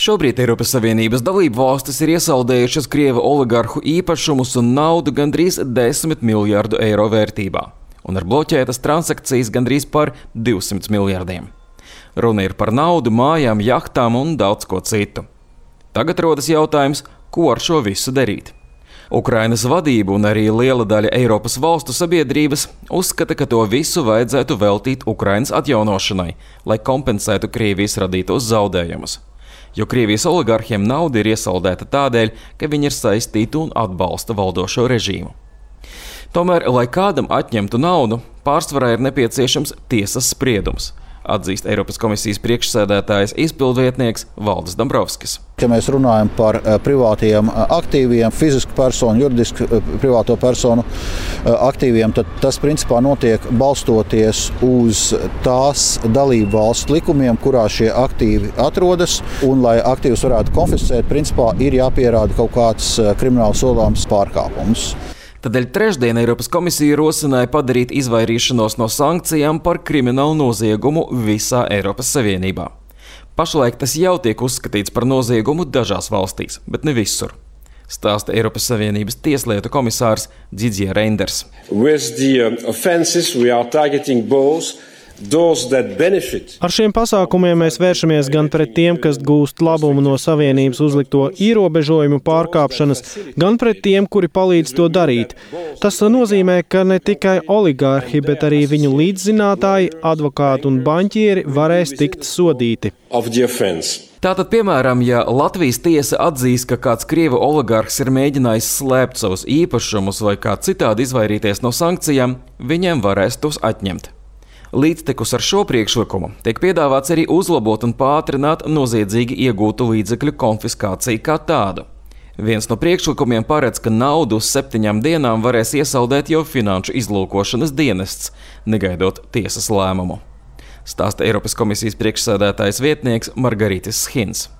Šobrīd Eiropas Savienības dalību valstis ir iesaldējušas Krievu oligarhu īpašumus un naudu gandrīz 10 miljārdu eiro vērtībā, un ir bloķētas transakcijas gandrīz par 200 miljārdiem. Runa ir par naudu, mājām, jahtām un daudz ko citu. Tagad rodas jautājums, ko ar šo visu darīt. Ukrainas vadība un arī liela daļa Eiropas valstu sabiedrības uzskata, ka to visu vajadzētu veltīt Ukrainas atjaunošanai, lai kompensētu Krievijas radītos zaudējumus. Jo Krievijas oligarhiem nauda ir iesaldēta tādēļ, ka viņi ir saistīti un atbalsta valdošo režīmu. Tomēr, lai kādam atņemtu naudu, pārsvarā ir nepieciešams tiesas spriedums, atzīst Eiropas komisijas priekšsēdētājs izpildvietnieks Valdis Dombrovskis. Ja mēs runājam par privātajiem aktīviem, fizisku personu, juridisku privāto personu aktīviem, tad tas principā notiek balstoties uz tās dalību valstu likumiem, kurā šie aktīvi atrodas. Un, lai aktīvus varētu konfiscēt, principā ir jāpierāda kaut kāds krimināli sodāms pārkāpums. Tādēļ trešdien Eiropas komisija rosināja padarīt izvairīšanos no sankcijām par kriminālu noziegumu visā Eiropas Savienībā. Pašlaik tas jau tiek uzskatīts par noziegumu dažās valstīs, bet ne visur, stāsta Eiropas Savienības tieslietu komisārs Didier Reynders. Ar šiem pasākumiem mēs vēršamies gan pret tiem, kas gūst labumu no Savienības uzlikto ierobežojumu pārkāpšanas, gan pret tiem, kuri palīdz to darīt. Tas nozīmē, ka ne tikai oligārhi, bet arī viņu līdzzinātāji, advokāti un baņķieri varēs tikt sodīti. Tātad, piemēram, ja Latvijas tiesa atzīs, ka kāds Krievu oligarhs ir mēģinājis slēpt savus īpašumus vai kā citādi izvairīties no sankcijām, viņiem varēs tos atņemt. Līdztekus ar šo priekšlikumu tiek piedāvāts arī uzlabot un pātrināt noziedzīgi iegūtu līdzekļu konfiskāciju kā tādu. Viens no priekšlikumiem paredz, ka naudu uz 7 dienām varēs iesaldēt jau finanšu izlūkošanas dienests, negaidot tiesas lēmumu. Stāsta Eiropas komisijas priekšsēdētājas vietnieks Margaritis Schins.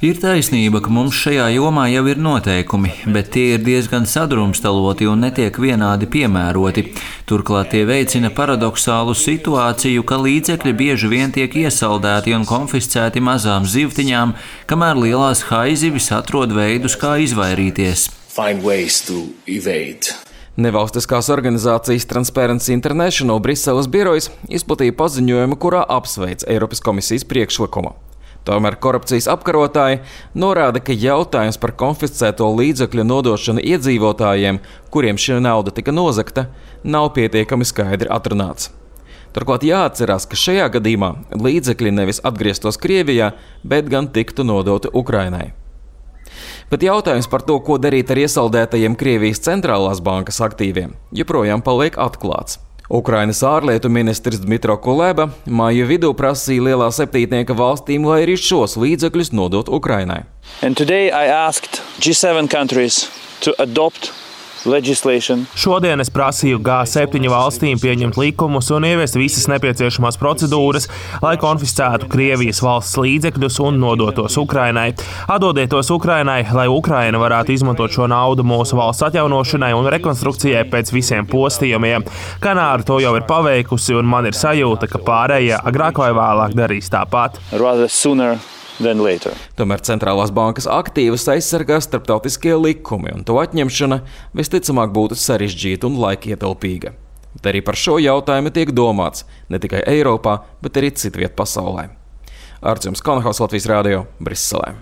Ir taisnība, ka mums šajā jomā jau ir noteikumi, bet tie ir diezgan sadrumstaloti un netiek vienādi piemēroti. Turklāt tie veicina paradoxālu situāciju, ka līdzekļi bieži vien tiek iesaldēti un konfiscēti mazām zivtiņām, kamēr lielās haizivis atrod veidus, kā izvairīties. Nevalstiskās organizācijas Transparency International Briseles birojas izplatīja paziņojumu, kurā apsveic Eiropas komisijas priekšlikumu. Tomēr korupcijas apkarotāji norāda, ka jautājums par konfiscēto līdzekļu nodošanu iedzīvotājiem, kuriem šī nauda tika nozagta, nav pietiekami skaidri atrunāts. Turklāt jāatcerās, ka šajā gadījumā līdzekļi nevis atgrieztos Krievijā, bet gan tiktu nodoti Ukrainai. Bet jautājums par to, ko darīt ar iesaldētajiem Krievijas centrālās bankas aktīviem, joprojām paliek atklāts. Ukrainas ārlietu ministrs Dmitro Kuleba māja vidū prasīja lielā septītnieka valstīm, lai arī šos līdzekļus nodot Ukrainai. Šodien es prasīju G7 valstīm pieņemt likumus un ieviest visas nepieciešamās procedūras, lai konfiscētu Krievijas valsts līdzekļus un nodotos Ukrainai. Atdodiet tos Ukrainai, lai Ukraina varētu izmantot šo naudu mūsu valsts atjaunošanai un rekonstrukcijai pēc visiem postījumiem. Kanāra to jau ir paveikusi, un man ir sajūta, ka pārējie agrāk vai vēlāk darīs tāpat. Tomēr centrālās bankas aktīvus aizsargā starptautiskie likumi, un to atņemšana visticamāk būtu sarežģīta un laikietilpīga. Bet arī par šo jautājumu tiek domāts ne tikai Eiropā, bet arī citviet pasaulē. Artjums Konohaus, Latvijas radio, Briselē.